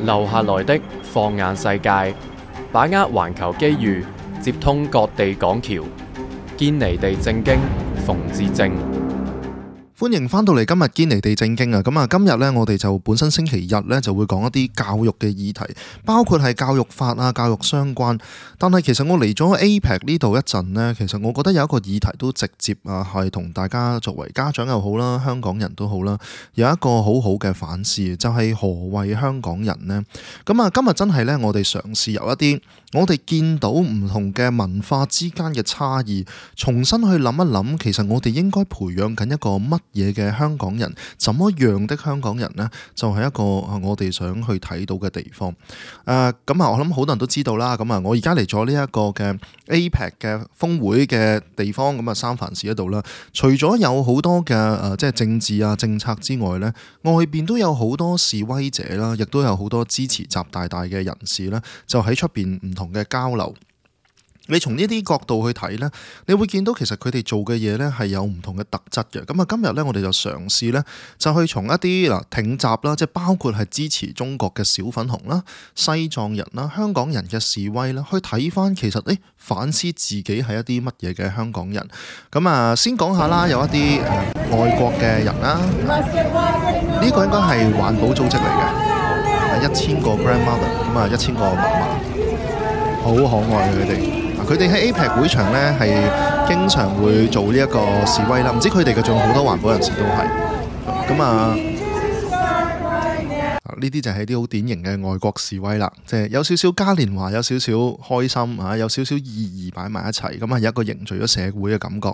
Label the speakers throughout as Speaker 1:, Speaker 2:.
Speaker 1: 留下來的放眼世界，把握環球機遇，接通各地港橋，堅尼地正經，馮智政。
Speaker 2: 歡迎翻到嚟今日堅尼地正經啊！咁啊，今日呢，我哋就本身星期日呢就會講一啲教育嘅議題，包括係教育法啊、教育相關。但係其實我嚟咗 APEC 呢度一陣呢，其實我覺得有一個議題都直接啊，係同大家作為家長又好啦、香港人都好啦，有一個好好嘅反思，就係何謂香港人呢？咁啊，今日真係呢，我哋嘗試由一啲我哋見到唔同嘅文化之間嘅差異，重新去諗一諗，其實我哋應該培養緊一個乜嘢嘅香港人，怎麼樣的香港人呢？就係一個我哋想去睇到嘅地方。咁我諗好多人都知道啦。咁啊，我而家嚟咗呢一個嘅 APEC 嘅峰會嘅地方，咁啊三藩市嗰度啦。除咗有好多嘅即係政治啊政策之外呢，外邊都有好多示威者啦，亦都有好多支持習大大嘅人士啦，就喺出邊唔同嘅交流。你從呢啲角度去睇呢，你會見到其實佢哋做嘅嘢呢係有唔同嘅特質嘅。咁啊，今日呢，我哋就嘗試呢，就去從一啲挺習啦，即係包括係支持中國嘅小粉紅啦、西藏人啦、香港人嘅示威啦，去睇翻其實反思自己係一啲乜嘢嘅香港人。咁啊，先講下啦，有一啲外國嘅人啦，呢個應該係環保組織嚟嘅，1000個 grandmother， 咁啊1000個嫲嫲，好可愛嘅佢哋。佢哋喺 APEC 會場呢係經常會做呢一個示威啦，唔知佢哋嘅仲有好多環保人士都係咁啊。呢啲就係啲好典型嘅外國示威啦，即係有少少嘉年華，有少少開心啊，有少少意義擺埋一齊，咁啊有一個凝聚咗社會嘅感覺。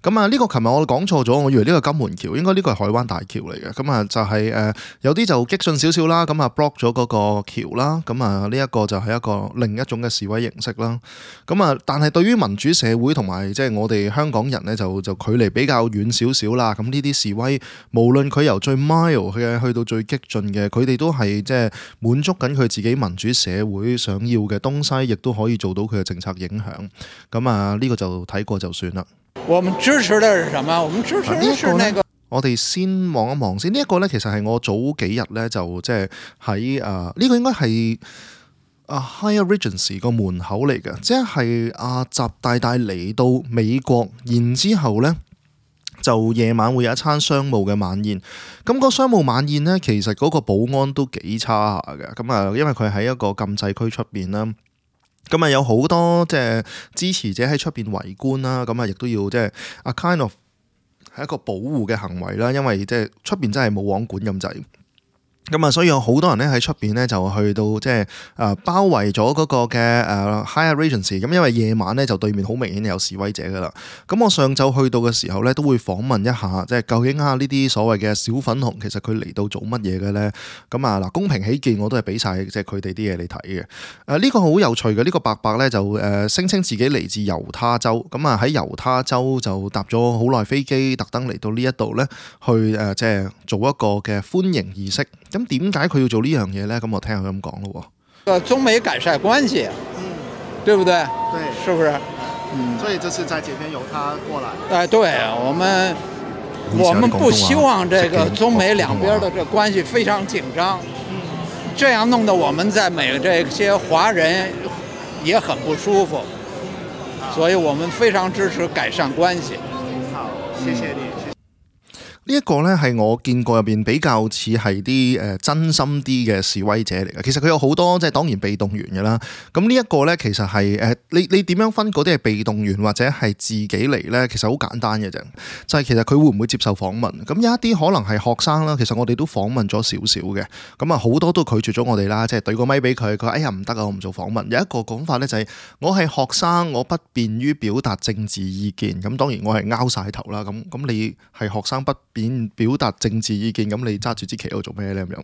Speaker 2: 咁啊呢個琴日我講錯咗，我以為呢個金門橋，應該呢個係海灣大橋嚟嘅。咁啊就係有啲就激進少少啦，咁啊 block 咗嗰個橋啦。咁啊呢一個就係一個另一種嘅示威形式啦。咁啊但係對於民主社會同埋即係我哋香港人呢，就距離比較遠少少啦。咁呢啲示威，無論佢由最 mild 嘅去到最激進嘅，佢哋都係即係滿足緊佢自己民主社會想要嘅東西，亦都可以做到佢嘅政策影響。咁啊呢個就睇過就算啦。
Speaker 3: 我們支持的是什麼？我們支持的是那個。
Speaker 2: 我哋先望一望先，呢一個呢，其實係我早幾日呢，就即係喺呢個應該係Hyatt Regency 個門口嚟嘅，即係習大大嚟到美國，然之後呢，就夜晚會有一餐商務嘅晚宴。咁個商務晚宴呢，其實嗰個保安都幾差下嘅。咁啊，因為佢喺一個禁制區出邊啦，咁啊有好多即係支持者喺出邊圍觀啦。咁啊亦都要即係kind of係一個保護嘅行為啦，因為即係出邊真係冇網管咁滯。咁啊，所以有好多人咧喺出邊咧就去到即係包圍咗嗰個嘅Hyatt Regency。咁因為夜晚咧就對面好明顯有示威者噶啦。咁我上晝去到嘅時候咧都會訪問一下，即係究竟呢啲所謂嘅小粉紅其實佢嚟到做乜嘢嘅咧？咁啊嗱，公平起見我都係俾晒即係佢哋啲嘢你睇嘅。呢個好有趣嘅，呢個伯伯咧就聲稱自己嚟自猶他州，咁啊喺猶他州就搭咗好耐飛機，特登嚟到呢一度咧去即係做一個嘅歡迎儀式。咁點解佢要做呢樣嘢呢？咁我聽下佢咁講咯。
Speaker 3: 中美改善關係，對不對？
Speaker 2: 對，
Speaker 3: 是不是？
Speaker 2: 所以這次在這邊由他過來。
Speaker 3: 對，我們不希望這個中美兩邊的這關係非常緊張，這樣弄得我們在美這些華人也很不舒服，所以我們非常支持改善關係。
Speaker 2: 好，謝謝你。呢一個呢，係我見過入邊比較似係啲真心啲嘅示威者嚟嘅。其實佢有好多即係當然被動員嘅啦。咁呢一個呢，其實係你點樣分嗰啲係被動員或者係自己嚟呢？其實好簡單嘅啫。就係其實佢會唔會接受訪問？咁有一啲可能係學生啦。其實我哋都訪問咗少少嘅。咁啊好多都拒絕咗我哋啦。即係對個咪俾佢，佢話哎呀唔得啊，我唔做訪問。有一個講法呢，就係我係學生，我不便於表達政治意見。咁當然我係拗晒頭啦。咁你係學生不表達政治意見，咁你揸住支旗喺度做咩呢？咁樣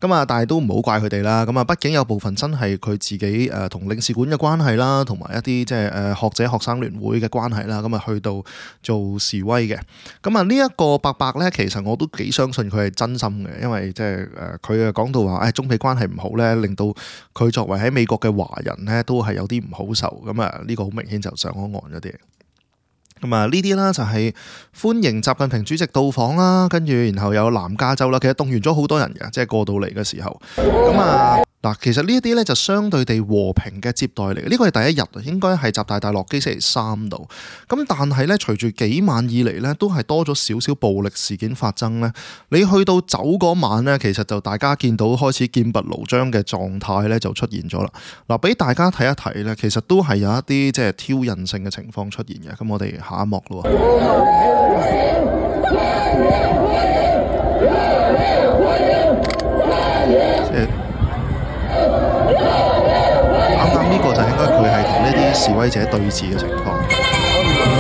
Speaker 2: 咁啊，但係都唔好怪佢哋啦。咁啊，畢竟有部分真係佢自己同領事館嘅關係啦，同埋一啲即係學者學生聯會嘅關係啦。咁啊，去到做示威嘅。咁啊，呢一個伯伯呢，其實我都幾相信佢係真心嘅，因為即係佢講到話中美關係唔好呢，令到佢作為喺美國嘅華人呢，都係有啲唔好受。咁啊，呢個好明顯就上咗岸嗰啲。咁啊，呢啲啦就係歡迎習近平主席到訪啦，跟住然後有南加州啦，其實動員咗好多人嘅，即係過到嚟嘅時候。咁啊嗱，其實呢一啲咧就相對地和平嘅接待嚟嘅，呢個係第一日啊，應該係習大大落機星期3度。咁但係咧，隨住幾晚以嚟咧，都係多咗少少暴力事件發生咧。你去到走嗰晚咧，其實就大家見到開始劍拔弩張嘅狀態咧就出現咗啦。嗱，俾大家睇一睇咧，其實都係有一啲即係挑釁性嘅情況出現嘅。咁我哋下一幕咯。啱啱呢個就應該佢係同呢啲示威者對峙嘅情況。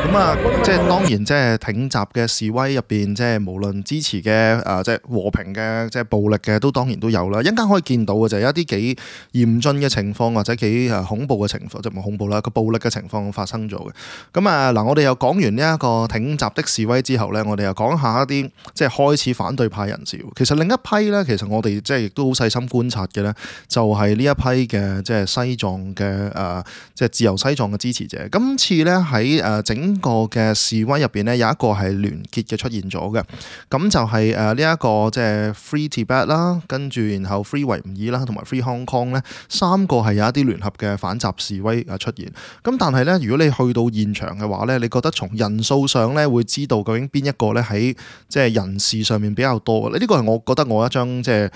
Speaker 2: 咁啊，即係當然，即係挺習嘅示威入邊，即係無論支持嘅即係和平嘅，即係暴力嘅，都當然都有啦。一陣間可以見到嘅就係一啲幾嚴峻嘅情況，或者幾恐怖嘅情況，即係冇恐怖啦，個暴力嘅情況發生咗嘅。咁啊嗱，我哋又講完呢一個挺習的示威之後咧，我哋又講下一啲即係開始反對派人士。其實另一批咧，其實我哋即係亦都好細心觀察嘅咧，就係呢一批嘅即係西藏嘅即係自由西藏嘅支持者。今次咧喺整個嘅示威入邊咧，有一個係聯結嘅出現咗嘅，咁就係呢一個即係 Free Tibet 啦，跟住然後 Free 維吾爾啦，同埋 Free Hong Kong 咧，3個係有一啲聯合嘅反習示威出現。咁但係咧，如果你去到現場嘅話咧，你覺得從人數上咧會知道究竟邊一個咧喺即係人事上面比較多嘅？呢個係我覺得我一張即係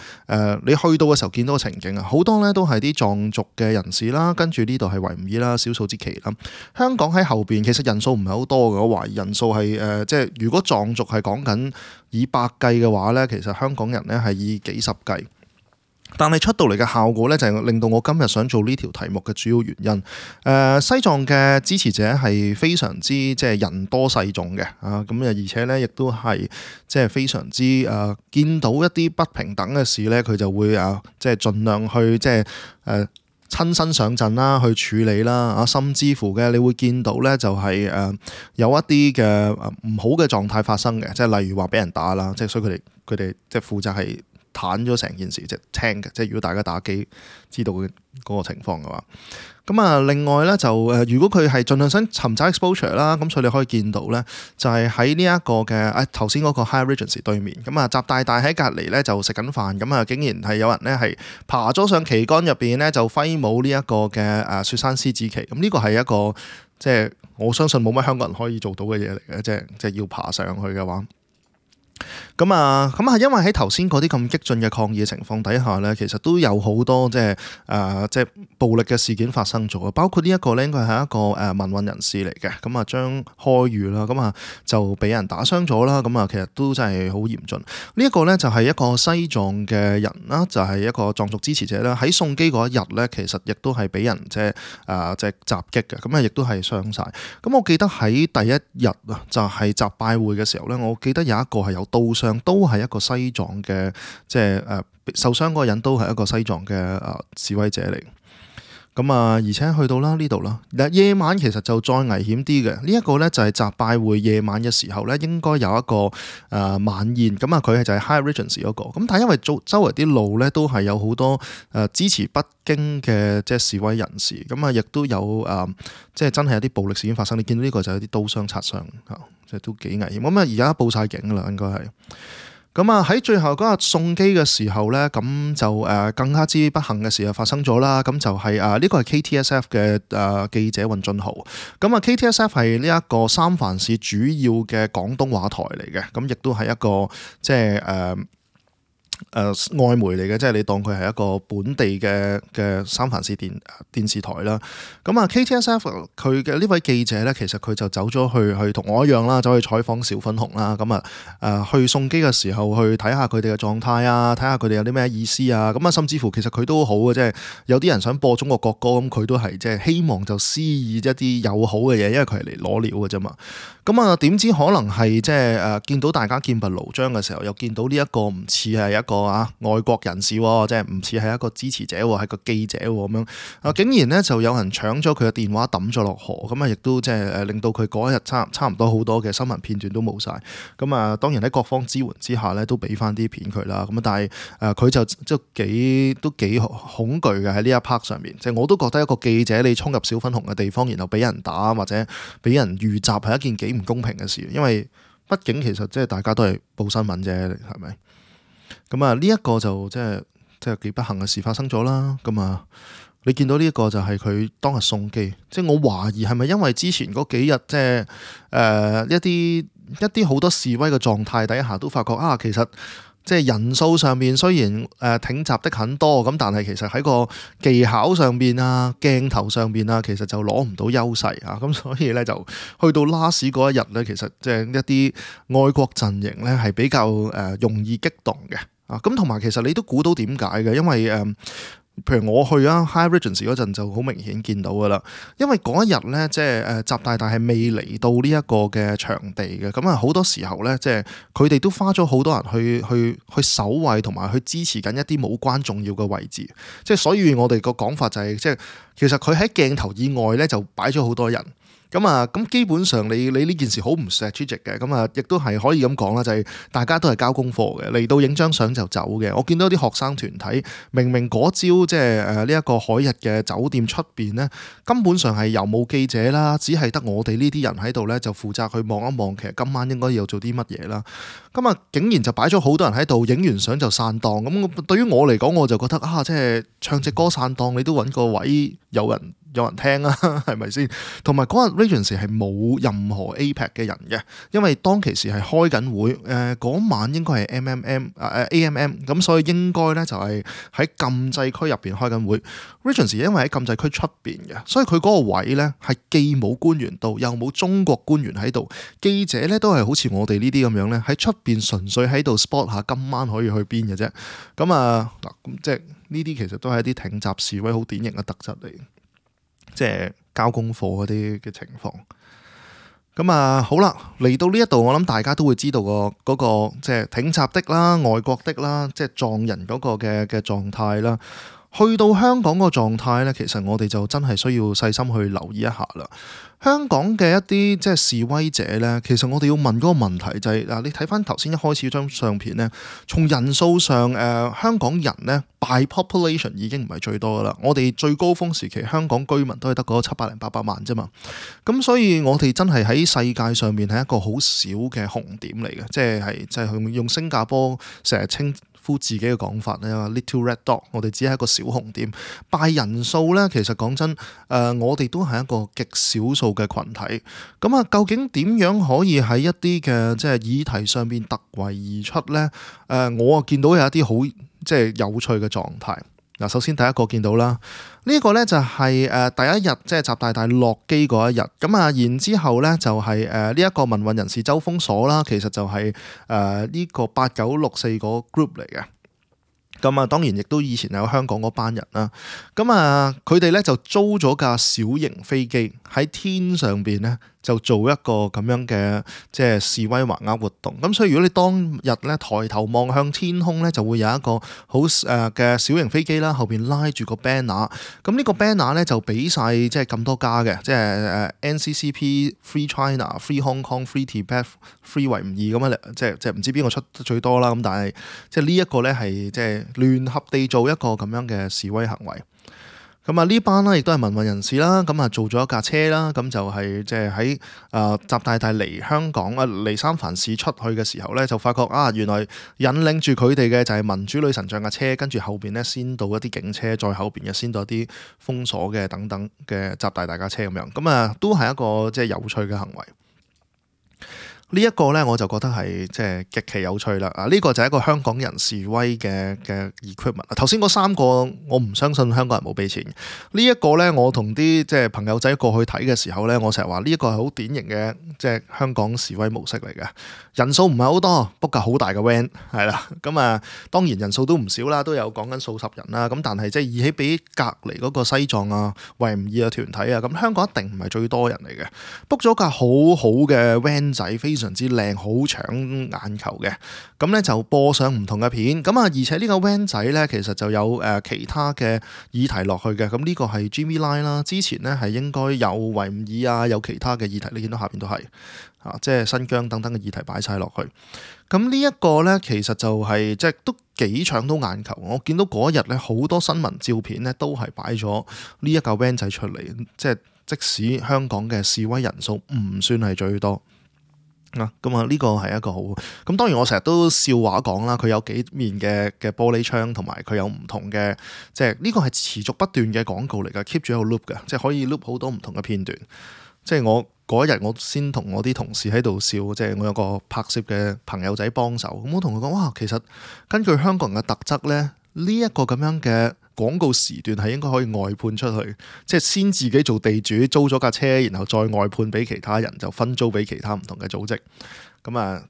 Speaker 2: 你去到嘅時候見到嘅情景啊，好多咧都係啲藏族嘅人士啦，跟住呢度係維吾爾啦，少數之旗啦。香港喺後邊其實人數唔係好多嘅，我懷疑人數係即係如果藏族係講緊以百計嘅話咧，其實香港人咧係以幾十計。但係出到嚟嘅效果咧，就係令到我今日想做呢條題目嘅主要原因。西藏嘅支持者係非常之即係人多勢眾嘅啊，咁而且咧亦都係即係非常之見到一啲不平等嘅事咧，佢就會即係盡量去即係親身上陣啦，去處理啦啊，甚至乎嘅你會見到咧，就係有一啲嘅唔好嘅狀態發生嘅，即係例如話俾人打啦，即係所以佢哋即係負責係攤咗成件事，即係聽嘅。即係如果大家打機知道嗰個情況嘅話，咁啊另外咧就如果佢係盡量想尋找 exposure 啦，咁所以你可以見到咧，就係喺呢一個嘅頭先嗰個 High Regency 對面，咁啊習大大喺隔離咧就食緊飯，咁啊竟然係有人咧係爬咗上旗杆入邊咧就揮舞呢一個嘅雪山獅子旗，咁呢個係一個即係我相信冇乜香港人可以做到嘅嘢嚟嘅，即係要爬上去嘅話。咁啊，因為喺頭先嗰啲咁激進嘅抗議嘅情況底下咧，其實都有好多即係暴力嘅事件發生咗，包括呢一個咧，應該係一個民運人士嚟嘅，咁啊張開宇啦，咁啊就俾人打傷咗啦，咁啊其實都真係好嚴峻。呢一個咧就係一個西藏嘅人啦，就係一個藏族支持者啦，喺送機嗰一日咧，其實亦都係俾人即係襲擊嘅，咁啊亦都係傷晒。咁我記得喺第一日啊，就係習拜會嘅時候咧，我記得有一個係有刀傷。都係一個西藏嘅，即係受傷嗰個人都係一個西藏嘅示威者嚟。咁啊，而且去到啦呢度啦，夜晚其實就再危險啲嘅。呢一個咧就係習拜會夜晚嘅時候咧，應該有一個晚宴。咁啊，佢係就係 High Regency 嗰個。咁但係因為周圍啲路咧都係有好多支持北京嘅即係示威人士，咁啊亦都有即係真係有啲暴力事件發生。你見到呢個就有啲刀傷擦傷即係都幾危險。咁啊而家報晒警啦，應該係。咁啊喺最後嗰日送機嘅時候咧，咁就更加之不幸嘅事就發生咗啦。咁就係呢個係 KTSF 嘅記者尹俊豪。咁啊 KTSF 係呢一個三藩市主要嘅廣東話台嚟嘅，咁亦都係一個即係外媒嚟嘅，即係你當佢係一個本地嘅三藩市電視台啦。咁啊 KTSF 佢嘅呢位記者咧，其實佢就走咗去同我一樣啦，走去採訪小粉紅啦。咁啊去送機嘅時候去睇下佢哋嘅狀態啊，睇下佢哋有啲咩意思啊。咁啊甚至乎其實佢都好嘅，即係有啲人想播中國國歌，咁佢都係即係希望就施以一啲友好嘅嘢，因為佢係嚟攞料嘅啫嘛。咁啊，點知可能係即係見到大家劍拔弩張嘅時候，又見到呢一個唔似係一個外國人士喎，即係唔似係一個支持者喎，係個記者喎咁樣竟然咧就有人搶咗佢嘅電話抌咗落河，咁啊亦都即係令到佢嗰一日差唔多好多嘅新聞片段都冇晒。咁啊當然喺各方支援之下咧，都俾翻啲片佢啦。咁啊但係佢就都幾恐懼嘅喺呢一 part 上面，即係我都覺得一個記者你衝入小粉紅嘅地方，然後俾人打或者俾人遇襲係一件幾唔公平嘅事，因為畢竟其實即係大家都係報新聞啫，係咪？咁啊呢一個就即係幾不幸嘅事發生咗啦。咁啊你見到呢一個就係佢當日送機，即係我懷疑係咪因為之前嗰幾日即係一啲好多示威嘅狀態底下都發覺其實即係人數上面雖然挺襲的很多，咁但係其實喺個技巧上面鏡頭上面其實就攞唔到優勢咁所以咧就去到 last 嗰一日咧，其實即係一啲愛國陣營咧係比較容易激動嘅咁同埋其實你都估到點解嘅，因為譬如我去Hyatt Regency 嗰陣就好明顯見到噶啦，因為嗰一日咧即係習大大係未嚟到呢一個嘅場地嘅，咁好多時候咧即係佢哋都花咗好多人去守衛同埋去支持緊一啲冇關重要嘅位置，即係所以我哋個講法就係即係其實佢喺鏡頭以外咧就擺咗好多人。咁基本上你呢件事好唔 strategic 嘅，亦都係可以咁講啦，就係大家都係交功課嘅，嚟到影張相就走嘅。我見到啲學生團體明明嗰朝即係呢一個海逸嘅酒店出邊咧，根本上係又冇記者啦，只係得我哋呢啲人喺度咧，就負責去望一望，其實今晚應該要做啲乜嘢啦。竟然就擺咗好多人喺度，影完相就散檔。咁對於我嚟講，我就覺得即係唱隻歌散檔，你都揾個位有人聽啊，係咪先？同埋嗰日 Regency 係冇任何 APEC 嘅人嘅，因為當其時係開緊會，嗰晚應該係 AMM，咁所以應該咧就係喺禁制區入邊開緊會。Regency 因為喺禁制區出邊嘅，所以佢嗰個位咧係既冇官員到，又冇中國官員喺度，記者咧都係好似我哋呢啲咁樣咧喺出邊純粹喺度 spot 下今晚可以去邊嘅啫。咁即係呢啲其實都係一啲挺襲示威好典型嘅特質嚟。即係交功課嗰啲嘅情況，好啦，嚟到呢一度，我諗大家都會知道嗰個即係挺襲的啦、外國的啦，即係撞人嗰個嘅狀態啦。去到香港個狀態咧，其實我哋就真係需要細心去留意一下啦。香港嘅一啲即係示威者咧，其實我哋要問嗰個問題就係你睇翻頭先一開始張相片咧，從人數上香港人咧 by population 已經唔係最多噶啦。我哋最高峰時期香港居民都係得嗰700-800萬啫嘛。咁所以我哋真係喺世界上面係一個好少嘅紅點嚟嘅，即係用新加坡成日稱呼自己嘅講法咧 ，little red dot， 我哋只係一個小紅點。拜人數咧，其實講真，我哋都係一個極少數嘅群體。究竟點樣可以喺一啲嘅即係議題上面突圍而出咧？我見到有一啲好即係有趣嘅狀態。首先第一個見到啦，呢個咧就係第一日即係習大大落機嗰一日。然之後咧就係呢一個民運人士周鋒鎖啦，其實就係呢個8964個 group 嚟嘅。當然亦都以前有香港嗰班人啦。佢哋咧就租咗架小型飛機喺天上邊咧，就做一個咁樣嘅即係示威橫額活動。咁所以如果你當日咧抬頭望向天空咧，就會有一個好嘅小型飛機啦，後邊拉住個 banner。咁呢個 banner 咧就俾晒即係咁多家嘅，即係NCCP、Free China、Free Hong Kong、Free Tibet、Free 維吾爾咁樣，即係唔知邊個出得最多啦。咁但係即係呢一個咧係即係聯合地做一個咁樣嘅示威行為。呢班咧亦都係民運人士啦，做咗一架車啦，就係即係喺習大大嚟香港嚟三藩市出去嘅時候咧，就發覺原來引領住佢哋嘅就係民主女神像架車，跟住後邊咧先到一啲警車，再後邊嘅先到一啲封鎖嘅等等嘅習大大架車咁樣，都係一個即係有趣嘅行為。呢一個呢，我就覺得係即係極其有趣啦！呢個就係一個香港人示威嘅 equipment。頭先嗰3個我唔相信香港人冇俾錢。呢一個呢，我同啲即係朋友仔過去睇嘅時候呢，我成日話呢一個係好典型嘅即係香港示威模式嚟嘅。人數唔係好多，book 架好大嘅 van 係啦。咁當然人數都唔少啦，都有講緊數十人啦。咁但係即係以起比隔離嗰個西藏啊、維吾爾嘅團體啊，咁香港一定唔係最多人嚟嘅。book 咗架好好嘅 van 仔，非常之靚，好搶眼球嘅。咁咧就播上唔同嘅片。而且呢個 van 仔咧其實就有其他嘅議題落去嘅。咁呢個係 Jimmy Lai 啦，之前咧係應該有維吾爾啊，有其他嘅議題，你見到下邊都係即係新疆等等嘅議題擺晒落去。咁呢一個咧其實就係即係都幾搶到眼球。我見到嗰日咧好多新聞照片咧都係擺咗呢一架 van 仔出嚟，即使香港嘅示威人數唔算係最多。呢個係一個好咁，當然我成日都笑話講啦，佢有幾面嘅玻璃窗，同埋佢有唔同嘅，即係呢個係持續不斷嘅廣告嚟㗎 ，keep 住喺度 loop 㗎，即係可以 loop 好多唔同嘅片段。即係我嗰日我先同我啲同事喺度笑，即係我有個拍攝嘅朋友仔幫手，咁我同佢講哇，其實根據香港人嘅特質咧，呢一個咁樣嘅廣告時段係應該可以外判出去，即係先自己做地主租咗架車，然後再外判俾其他人，就分租俾其他唔同嘅組織。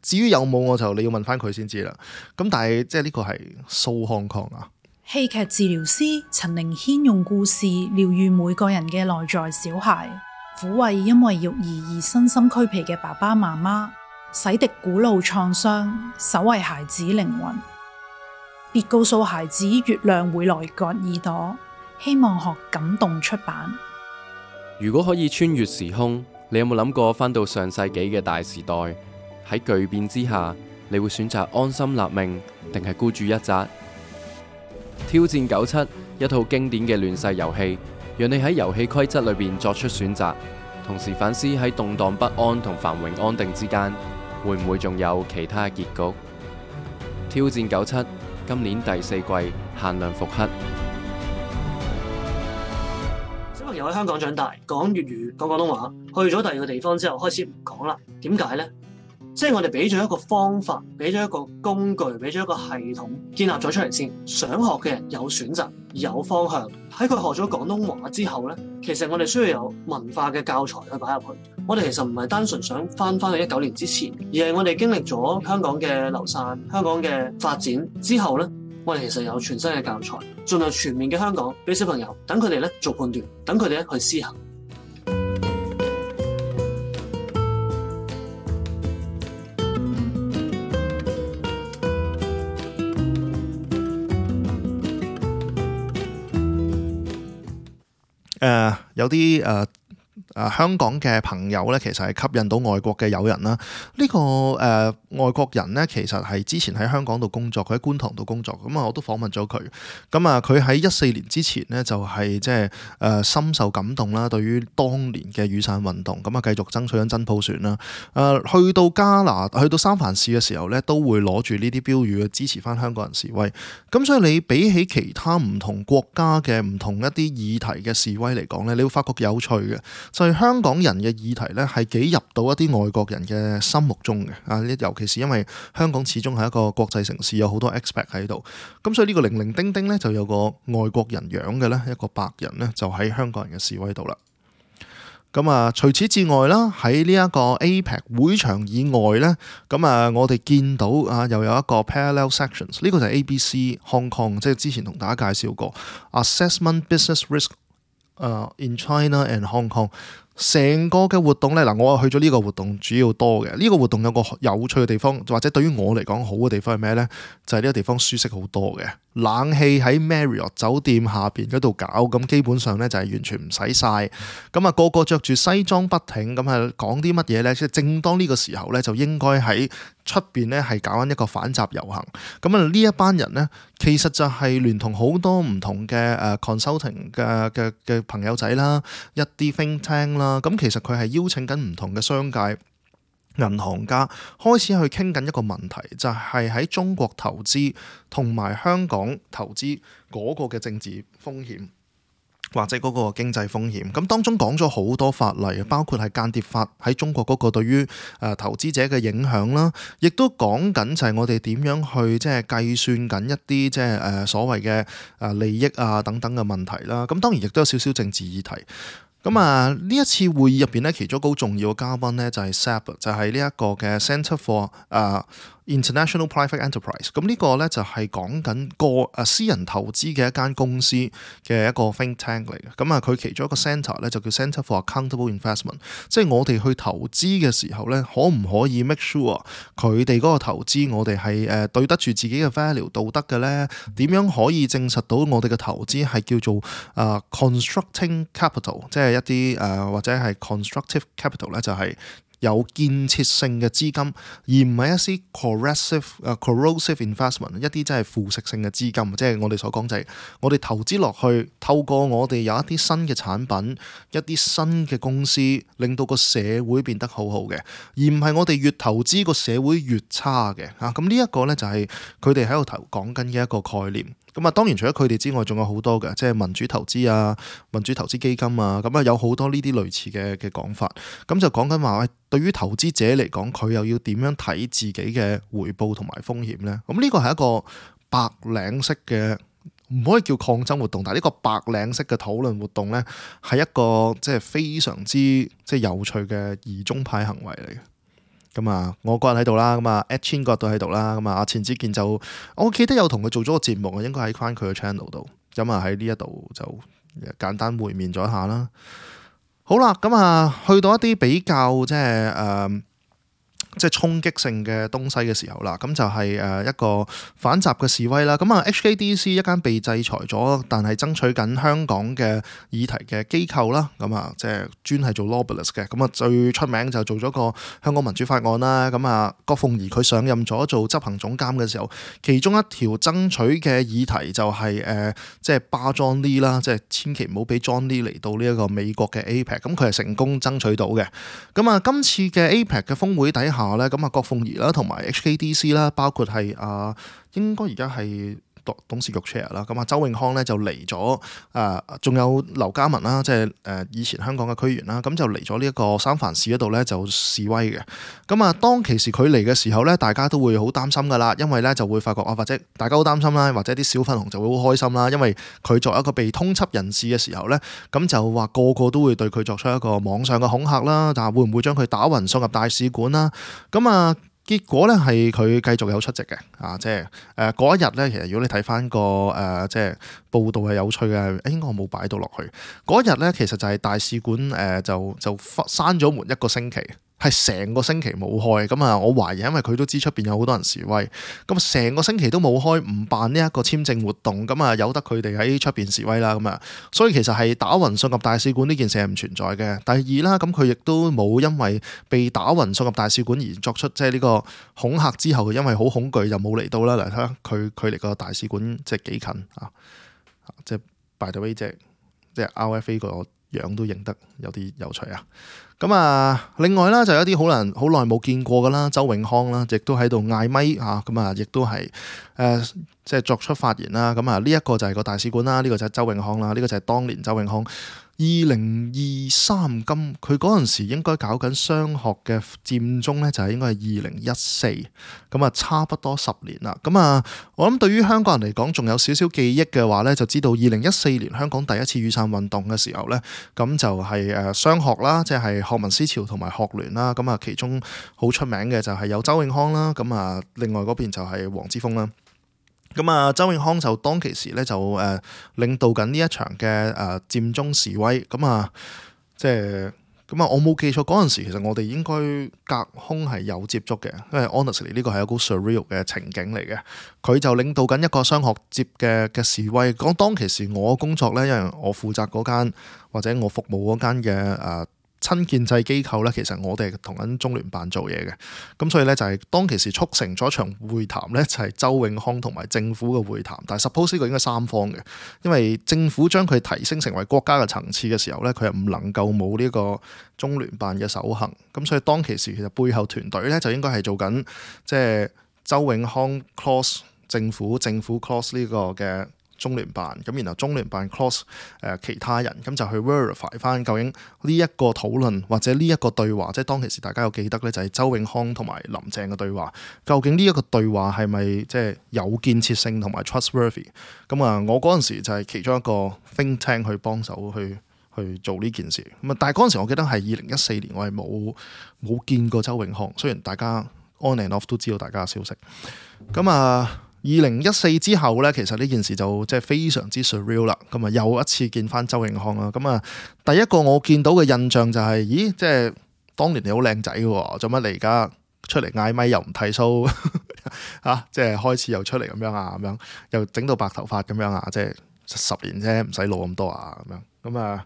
Speaker 2: 至於有冇你要問翻佢先知啦。咁但係即係呢個係 So Hong Kong 啊。
Speaker 4: 戲劇治療師陳靈軒用故事療愈每個人嘅內在小孩，撫慰因為育兒而身心俱疲嘅爸爸媽媽，洗滌古老創傷，守衛孩子靈魂。別告訴孩子月亮會來割耳朵，希望學感動出版。
Speaker 1: 如果可以穿越時空，你有冇諗過返到上世紀嘅大時代？喺巨變之下，你會選擇安心立命，定係孤注一擲？挑戰97，一套經典嘅亂世遊戲，讓你喺遊戲規則裏邊作出選擇，同時反思喺動盪不安同繁榮安定之間，會唔會仲有其他結局？挑戰97。今年第4季限量復刻。
Speaker 5: 小朋友喺香港長大，講粵語、講廣東話，去咗第二個地方之後開始唔講啦。點解呢？即係我哋俾咗一個方法，俾咗一個工具，俾咗一個系統建立咗出嚟先。想學嘅人有選擇，有方向。喺佢學咗廣東話之後呢，其實我哋需要有文化嘅教材去擺入去。我哋其實唔係單純想翻去19年之前，而係我哋經歷咗香港嘅流散、香港嘅發展之後呢，我哋其實有全新嘅教材，盡量全面嘅香港俾小朋友，等佢哋咧做判斷，等佢哋咧去思考。
Speaker 2: 有啲香港嘅朋友咧，其實係吸引到外國嘅友人啦。呢個外國人咧，其實係之前喺香港度工作，佢喺觀塘度工作。咁我都訪問咗佢。咁佢喺14年之前呢，就係即係深受感動啦，對於當年嘅雨傘運動，咁繼續爭取緊真普選啦。去到三藩市嘅時候咧，都會攞住呢啲標語去支持翻香港人示威。咁所以你比起其他唔同國家嘅唔同一啲議題嘅示威嚟講咧，你會發覺有趣嘅。就係香港人嘅議題咧，係幾入到一啲外國人嘅心目中嘅。尤其是因為香港始終係一個國際城市，有好多 expat 喺度。咁所以呢個零零丁丁咧，就有個外國人樣嘅咧，一個白人咧，就喺香港人嘅示威度啦。除此之外啦，喺呢一個 APEC 會場以外咧，我哋見到又有一個 parallel sections， 呢個就係 ABC Hong Kong， 即係之前同大家介紹過 Assessment Business Risk in China and Hong Kong。成個嘅活動呢，我去咗呢個活動主要多嘅。呢個活動有個有趣嘅地方，或者對於我嚟講好嘅地方係咩呢？就係呢個地方舒適好多嘅，冷氣喺 Marriott 酒店下邊嗰度搞，咁基本上呢就係完全唔使曬。個個着住西裝筆挺，講啲乜嘢呢？即係正當呢個時候呢，就應該喺出邊呢係搞緊一個反習遊行。呢一班人呢，其實就係聯同好多唔同嘅consulting 嘅朋友仔啦，一啲 think tank 啦。咁其實佢係邀請緊唔同嘅商界、銀行家開始去傾緊一個問題，就係喺中國投資同埋香港投資嗰個嘅政治風險。或者嗰個經濟風險。咁當中講咗好多法例，包括係間諜法喺中國嗰個對於投資者嘅影響啦，亦都講緊就係我哋點樣去即係計算緊一啲即係所謂嘅利益啊等等嘅問題啦。咁當然亦都有少少政治議題。咁呢一次會議入邊咧，其中一個好重要嘅嘉賓咧就係 SAP， 就係呢一個嘅 Centre for International Private Enterprise。咁呢個咧就係講緊私人投資嘅一間公司嘅一個 think tank 嚟嘅。咁佢其中一個 centre 咧就叫 Centre for Accountable Investment， 即係我哋去投資嘅時候咧，可唔可以 make sure 佢哋嗰個投資我哋係對得住自己嘅 value 道德嘅咧？點樣可以證實到我哋嘅投資係叫做constructing capital， 即係一啲或者係 constructive capital 咧，就係有建設性嘅資金，而唔係一啲corrosive investment， 一啲即係腐蝕性嘅資金。即係我哋所講就係我哋投資落去，透過我哋有一啲新嘅產品、一啲新嘅公司，令到個社會變得好好嘅，而唔係我哋越投資個社會越差嘅。咁呢一個咧就係佢哋喺度講緊嘅一個概念。咁當然除咗佢哋之外，仲有好多嘅，即係民主投資啊、民主投資基金啊，咁有好多呢啲類似嘅講法。咁就講緊話，對於投資者嚟講，佢又要點樣睇自己嘅回報同埋風險呢？咁呢個係一個白領式嘅，唔可以叫抗爭活動，但係呢個白領式嘅討論活動呢，係一個即係非常之即係有趣嘅疑中派行為嚟嘅。咁我個人喺度啦，咁Ed Chin 嗰日都喺度啦，咁錢子健就我記得有同佢做咗個節目啊，應該喺翻佢嘅 channel 度，咁喺呢一度就簡單會面咗一下啦。好啦，咁去到一啲比較即係衝擊性嘅東西嘅時候啦，咁就係一個反習嘅示威啦。咁HKDC 一間被制裁咗，但係爭取緊香港嘅議題嘅機構啦，咁即係專係做 lobbyist 嘅。咁最出名就做咗個香港民主法案啦。咁郭鳳儀佢上任咗做執行總監嘅時候，其中一條爭取嘅議題就係即係巴 John Lee 啦，即係千祈唔好俾 John Lee 嚟到呢一個美國嘅 APEC。咁佢係成功爭取到嘅。咁今次嘅 APEC 嘅峰會底下咧，咁郭鳳儀啦，同埋 HKDC 啦，包括係應該而家係董事局 chair 啦。咁周永康咧就嚟咗，仲有劉家文啦，即係以前香港嘅區議員啦，咁就嚟咗呢一個三藩市嗰度咧就示威嘅。咁當其時佢嚟嘅時候咧，大家都會好擔心噶啦，因為咧就會發覺或者大家好擔心啦，或者啲小粉紅就會好開心啦，因為佢作為一個被通緝人士嘅時候咧，咁就話個個都會對佢作出一個網上嘅恐嚇啦，但係會唔會將佢打暈送入大使館啦？咁結果咧係佢繼續有出席嘅，即係嗰一日咧，其實如果你睇翻個即係報道係有趣嘅，應該我冇擺到落去。嗰一日咧，其實就係大使館就閂咗門一個星期。係成個星期冇開，咁我懷疑因為佢都知出邊有好多人示威，咁成個星期都冇開，唔辦呢一個簽證活動，咁由得佢哋喺出邊示威啦，咁所以其實係打暈送入大使館呢件事係唔存在嘅。第二啦，咁佢亦都冇因為被打暈送入大使館而作出即係呢個恐嚇之後，因為好恐懼就冇嚟到啦。嚟睇下佢離個大使館即係幾近啊？即係 by the way，即係 RFA 個樣都認得有啲有趣啊！咁另外啦，就有一啲好耐冇見過噶啦，周永康啦，亦都喺度嗌咪亦都係即係作出發言啦。咁呢一個就係個大使館啦，呢個就係周永康啦，呢個就係當年周永康2023金，佢嗰陣時應該搞緊商學嘅佔中咧，就係應該係2014，咁差不多10年啦。咁我諗對於香港人嚟講，仲有少少記憶嘅話咧，就知道2014年香港第一次雨傘運動嘅時候咧，咁就係商學啦，即係學民思潮同埋學聯啦。咁其中好出名嘅就係有周永康啦，咁另外嗰邊就係黃之鋒啦。咁周永康就當其時咧就領導緊呢一場嘅佔中示威，即係我冇記錯嗰陣時，其實我哋應該隔空係有接觸嘅，因為 honestly 呢個係一個 surreal 嘅情景嚟嘅。佢就領導緊一個商學接嘅示威，講當其時我工作咧，因為我負責嗰間或者我服務嗰間嘅親建制機構咧，其實我哋同緊中聯辦做嘢嘅，咁所以咧就係當其時促成咗一場會談咧，就係周永康同埋政府嘅會談，但係 suppose 呢個應該三方嘅，因為政府將佢提升成為國家嘅層次嘅時候咧，佢係唔能夠冇呢個中聯辦嘅首肯，咁所以當其時其實背後團隊咧就應該係做緊即係周永康 cross 政府 cross 呢個嘅中聯辦，咁然後中聯辦 cross 其他人，咁就去 verify 翻究竟呢一個討論或者呢一個對話，即係當其時大家有記得咧，就係周永康同埋林鄭嘅對話，究竟呢一個對話係咪即係有建設性同埋 trustworthy？ 咁我嗰陣時就係其中一個 think tank 去幫手去做呢件事。咁但係嗰陣時我記得係2014年，我係冇見過周永康，雖然大家 on and off 都知道大家嘅消息。咁2014之後咧，其實呢件事就即係非常之 surreal 啦。咁又一次見翻周永康啦。咁第一個我見到嘅印象就係，咦，即係當年你好靚仔嘅喎，做乜你而家出嚟嗌咪又唔剃鬚即係開始又出嚟咁樣又整到白頭髮咁樣即係10年啫，唔使老咁多咁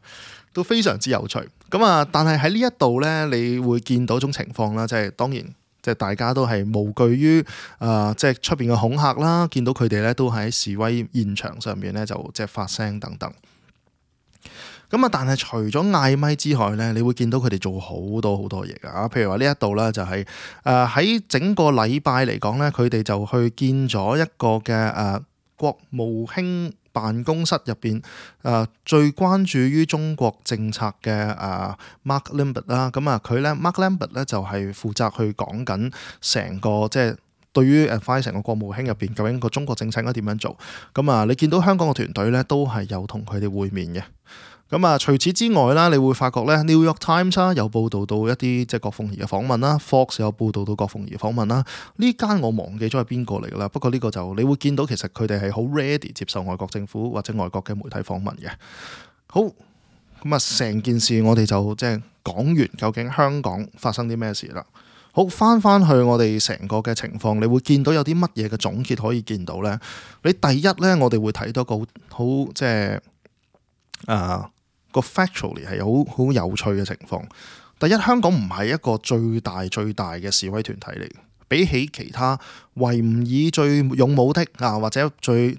Speaker 2: 都非常之有趣。但係喺呢一度咧，你會見到一種情況啦，即係當然。即係大家都係無懼於即係出邊嘅恐嚇啦，見到佢哋咧都喺示威現場上面咧就即係發聲等等。但係除咗嗌咪之外咧，你會見到佢哋做好多嘢㗎。譬如話呢一度咧就係喺整個禮拜嚟講咧，佢哋就去見咗一個嘅國務卿辦公室入邊最關注於中國政策嘅Mark Lambert 啦，佢咧 Mark Lambert 咧就係負責去講緊成個即係對於成個國務卿入邊究竟個中國政策應該點樣做。你見到香港嘅團隊咧都係有同佢哋會面嘅。除此之外啦，你會發覺咧 New York Times 有報導到一啲即係郭鳳儀嘅訪問啦 ，Fox 有報導到郭鳳儀訪問啦。呢間我忘記咗係邊個嚟㗎啦，不過呢個就你會見到其實佢哋係好 ready 接受外國政府或者外國嘅媒體訪問嘅。好，成件事我哋就即係講完究竟香港發生啲咩事啦。好，翻去我哋成個嘅情況，你會見到有啲乜嘢嘅總結可以見到咧？你第一咧，我哋會睇到個好即係個 factually 係好有趣嘅情況。第一，香港唔係一個最大嘅示威團體嚟嘅，比起其他維吾爾最勇武的或者最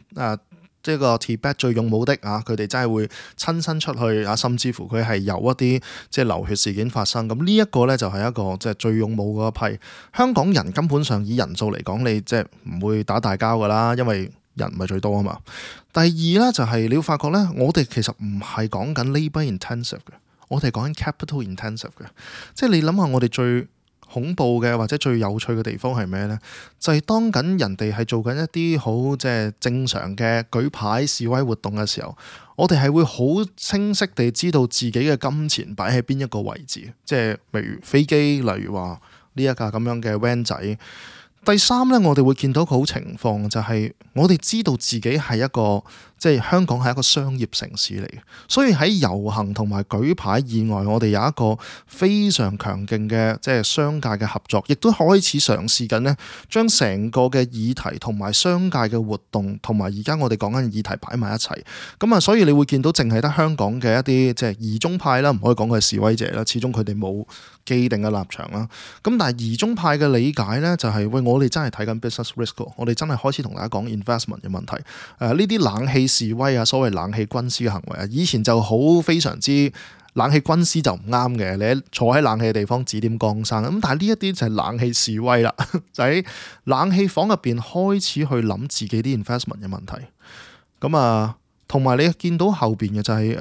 Speaker 2: 即係個 Tibet 最勇武的佢哋真係會親身出去甚至乎佢係有一啲即係流血事件發生。咁呢一個咧就係一個即係最勇武嗰一批。香港人根本上以人數嚟講，你即係唔會打大交噶啦，因為人唔係最多啊嘛。第二咧就係你要發覺咧，我哋其實唔係講緊 labour intensive 嘅，我哋講緊 capital intensive 嘅。即係你諗下，我哋最恐怖嘅或者最有趣嘅地方係咩呢？就係當緊人哋係做緊一啲好即係正常嘅舉牌示威活動嘅時候，我哋係會好清晰地知道自己嘅金錢擺喺邊一個位置。即係例如飛機，例如話呢一架咁樣嘅 van 仔。第三咧，我哋會見到個好情況，就係我哋知道自己係一個即係香港係一個商業城市嚟嘅，所以喺遊行同埋舉牌以外，我哋有一個非常強勁嘅即係商界嘅合作，亦都開始嘗試緊呢將成個嘅議題同埋商界嘅活動同埋而家我哋講緊嘅議題擺埋一齊。所以你會見到淨係得香港嘅一啲即係疑中派啦，唔可以講佢係示威者啦，始終佢哋冇既定嘅立場啦。但係疑中派嘅理解呢，就係我哋真係睇緊 business risk， 我哋真係開始同大家講 investment 嘅問題。呢啲冷氣示威所謂冷氣軍師嘅行為以前就好非常之冷氣軍師就唔啱嘅，你坐喺冷氣嘅地方指點江山。但係呢一啲就係冷氣示威啦，就喺冷氣房入邊開始去諗自己啲 investment 嘅問題。同埋你見到後邊嘅就係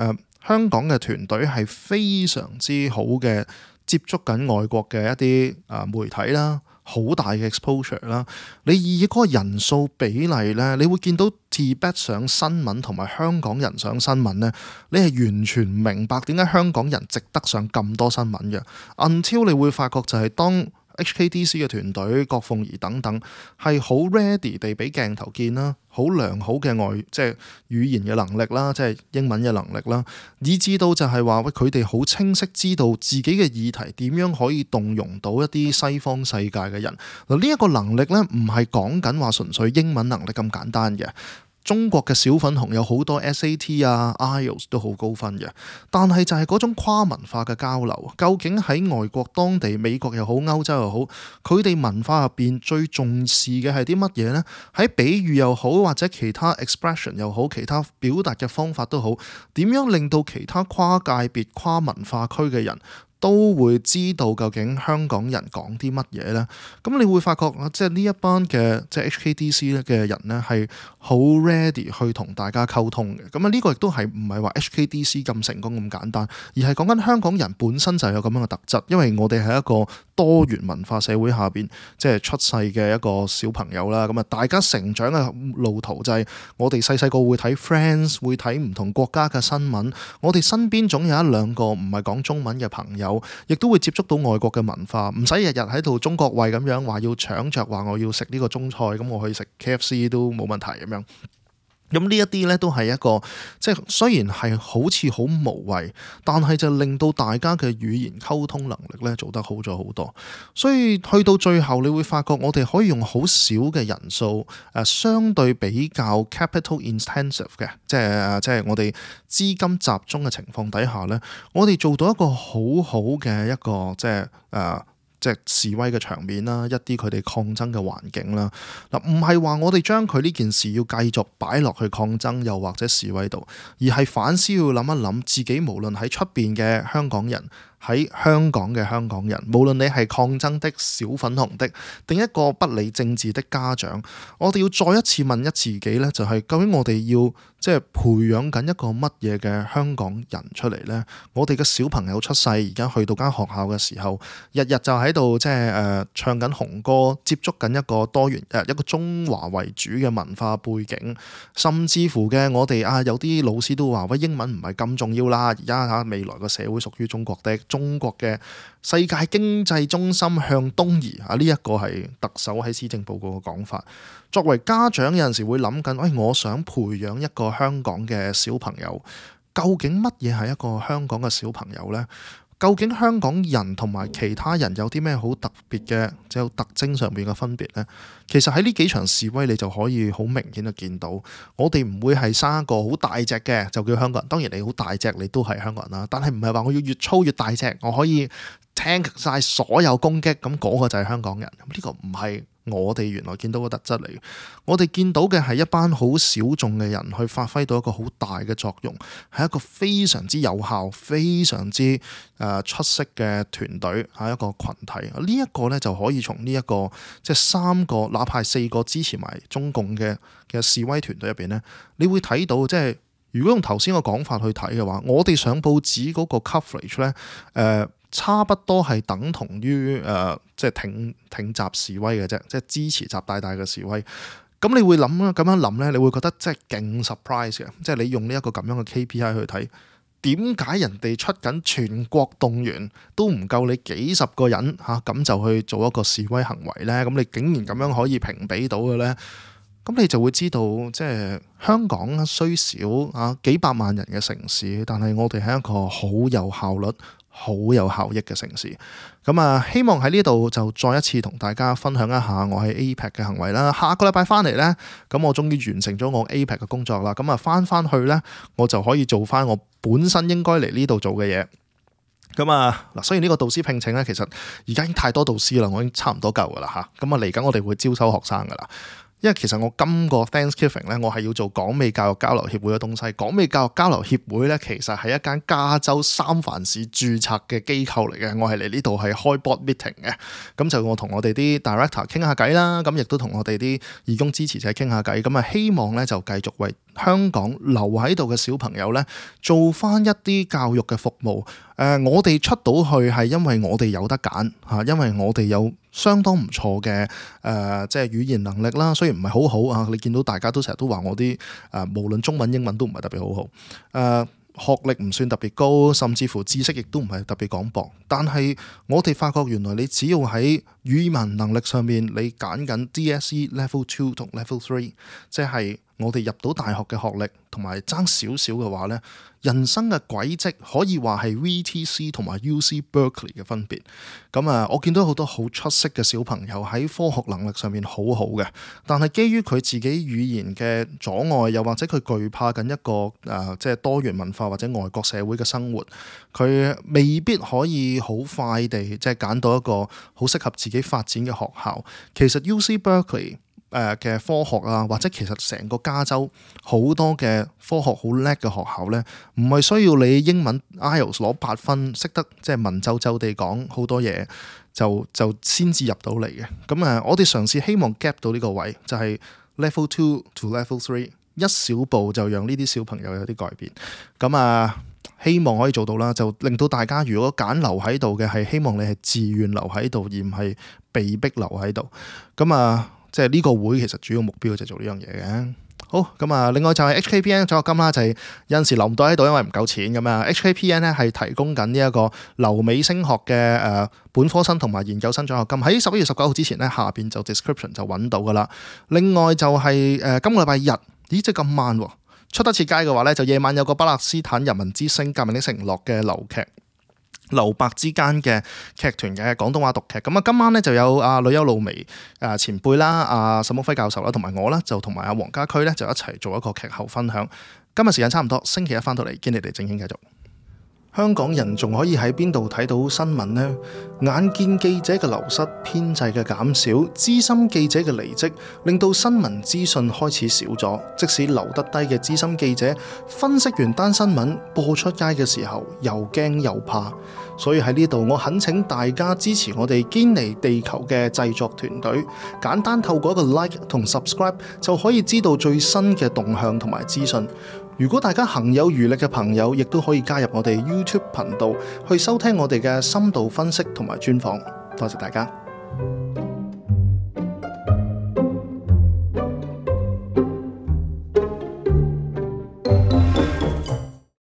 Speaker 2: 香港嘅團隊係非常之好嘅，接觸緊外國嘅一啲媒體啦。好大嘅 exposure 啦，你以嗰個人數比例咧，你會見到 Tibet 上新聞同埋香港人上新聞咧，你係完全唔明白點解香港人值得上咁多新聞嘅。Until 你會發覺就係當HKDC 嘅團隊、郭鳳儀等等係好 ready 地俾鏡頭見啦，好良好嘅即係語言嘅能力啦，即係英文嘅能力啦，以至到就係話佢哋好清晰知道自己嘅議題點樣可以動容到一啲西方世界嘅人。嗱，呢一個能力咧唔係講緊話純粹英文能力咁簡單嘅。中國嘅小粉紅有好多 SAT IELTS 都好高分嘅，但係就係嗰種跨文化嘅交流，究竟喺外國當地美國又好歐洲又好，佢哋文化入邊最重視嘅係啲乜嘢呢？喺比喻又好或者其他 expression 又好，其他表達嘅方法都好，點樣令到其他跨界別跨文化區嘅人都會知道究竟香港人講啲乜嘢呢？咁你會發覺即係呢一班嘅即係 HKDC 嘅人呢，係好 ready 去同大家溝通嘅。咁呢個亦都係唔係話 HKDC 咁成功咁簡單，而係講緊香港人本身就有咁樣嘅特質，因為我哋係一個多元文化社會下邊即係出世嘅一個小朋友啦。咁大家成長嘅路途就係我哋細細個會睇 Friends， 會睇唔同國家嘅新聞，我哋身邊總有一兩個唔係講中文嘅朋友，亦都會接觸到外國嘅文化，唔使日日喺度中國胃咁樣話要搶着話我要食呢個中菜，咁我去食 KFC 都冇問題咁樣。咁呢一啲咧都係一個即係雖然係好似好無謂，但係就令到大家嘅語言溝通能力咧做得好咗好多。所以去到最後，你會發覺我哋可以用好少嘅人數，相對比較 capital intensive 嘅，即係我哋資金集中嘅情況底下咧，我哋做到一個好好嘅一個即係示威嘅場面啦，一啲佢哋抗爭嘅環境啦。嗱，唔係話我哋將佢呢件事要繼續擺落去抗爭又或者示威度，而係反思要諗一諗自己，無論喺出邊嘅香港人，喺香港嘅香港人，無論你係抗爭的小粉紅的，定一個不理政治的家長，我哋要再一次問一自己呢，就係究竟我哋要即係培養緊一個乜嘢嘅香港人出嚟呢？我哋嘅小朋友出世，而家去到間學校嘅時候，日日就喺度即係唱緊紅歌，接觸緊一個多元一個中華為主嘅文化背景，甚至乎嘅我哋有啲老師都話喂，英文唔係咁重要啦，而家未來個社會屬於中國的，中國嘅世界經濟中心向東移呢一個係特首喺施政報告嘅講法。作為家長有陣時會諗緊，我想培養一個香港嘅小朋友，究竟乜嘢係一個香港嘅小朋友呢？究竟香港人同埋其他人有啲咩好特別嘅即係特徵上面嘅分別呢？其實喺呢幾場示威你就可以好明顯就見到，我哋唔會係生一個好大隻嘅就叫香港人。當然你好大隻你都係香港人啦，但係唔係話我要越粗越大隻，我可以 tank 晒所有攻擊，咁嗰個就係香港人。呢個唔係我哋原來見到嘅特質嚟。我哋見到嘅係一班好小眾嘅人去發揮到一個好大嘅作用，係一個非常之有效、非常之出色嘅團隊，係一個群體。呢一個咧就可以從呢一個即係3個，哪怕4個支持埋中共嘅示威團隊入邊咧，你會睇到即係如果用頭先個講法去睇嘅話，我哋上報紙嗰個 coverage 咧，差不多係等同於即係挺習示威嘅啫，即係支持習大大嘅示威。咁你會咁樣諗咧，你會覺得即係勁 surprise 嘅，即係你用呢一個咁樣嘅 KPI 去睇，點解人哋出緊全國動員都唔夠你幾十個人咁就去做一個示威行為咧？咁你竟然咁樣可以評比到嘅咧？咁你就會知道，即係香港雖小幾百萬人嘅城市，但係我哋係一個好有效率、好有效益嘅城市。咁希望喺呢度就再一次同大家分享一下我喺 APEC 嘅行為啦。下個禮拜翻嚟呢，咁我終於完成咗我 APEC 嘅工作啦。咁翻去呢，我就可以做翻我本身應該嚟呢度做嘅嘢。咁嗱，雖然呢個導師聘請呢，其實而家已經太多導師啦，我已經差唔多夠噶啦嚇。咁嚟緊我哋會招收學生噶啦。因為其實我今個 Thanksgiving 咧，我係要做港美教育交流協會嘅東西。港美教育交流協會咧，其實係一間加州三藩市註冊嘅機構嚟嘅。我係嚟呢度係開 board meeting 嘅，咁就我同我哋啲 director 傾下偈啦，咁亦都同我哋啲義工支持者傾下偈。咁希望咧就繼續為香港留喺度嘅小朋友咧做翻一啲教育嘅服務。我哋出到去係因為我哋有得揀嚇，因為我哋有相當唔錯嘅即係語言能力啦，雖然唔係好好啊，你見到大家都成日都話我啲無論中文英文都唔係特別好好，學歷唔算特別高，甚至乎知識亦都唔係特別廣博。但係我哋發覺原來你只要喺語文能力上面你揀緊 DSE Level 2同 Level 3，即係我哋入到大學嘅學歷同埋爭少少嘅話呢，人生嘅軌跡可以話係 VTC 同埋 UC Berkeley 嘅分別。咁我見到好多好出色嘅小朋友喺科學能力上面好好嘅，但係基於佢自己語言嘅阻礙，又或者佢懼怕緊一個即係多元文化或者外國社會嘅生活，佢未必可以好快地即係揀到一個好適合自己發展嘅學校。其實 UC Berkeley 嘅科學啊，或者其實成個加州好多嘅科學好叻嘅學校呢，唔係需要你英文 IELTS 攞8分，識得即係文縐縐地講好多嘢就先至入到嚟嘅。咁我哋嘗試希望 gap 到呢個位，就係 Level 2 to Level 3，一小步就讓呢啲小朋友有啲改變。咁希望可以做到啦，就令到大家如果揀留喺度嘅，係希望你係自願留喺度，而唔係被逼留喺度。咁即係呢個會其實主要目標就係做呢樣嘢嘅。好，另外就係 HKPN 獎學金啦，就係有陣時留唔到喺度，因為唔夠錢咁啊。HKPN 咧係提供緊呢一個留美升學嘅本科生同埋研究生獎學金，喺11月19號之前咧，下邊就 description 就揾到噶啦。另外就係今個禮拜日，咦即係咁慢喎，出得切街嘅話咧，就夜晚有個巴勒斯坦人民之星革命的承諾嘅流劇。留白之間嘅劇團嘅廣東話讀劇，今晚咧就有呂優露薇前輩啦，沈旭輝教授啦，同埋我啦，就同埋黃家駒咧就一齊做一個劇後分享。今日時間差唔多，星期一翻到嚟，見你哋正經繼續。香港人仲可以喺邊度睇到新聞呢？眼見記者嘅流失、編制嘅減少、資深記者嘅離職，令到新聞資訊開始少咗。即使留得低嘅資深記者，分析完單新聞播出街嘅時候，又驚又怕。所以喺呢度，我懇請大家支持我哋堅尼地球嘅製作團隊，簡單透過一個 like 同 subscribe 就可以知道最新嘅動向同埋資訊。如果大家行有餘力嘅朋友，亦都可以加入我哋 YouTube 頻道去收聽我哋嘅深度分析同埋專訪。多謝大家。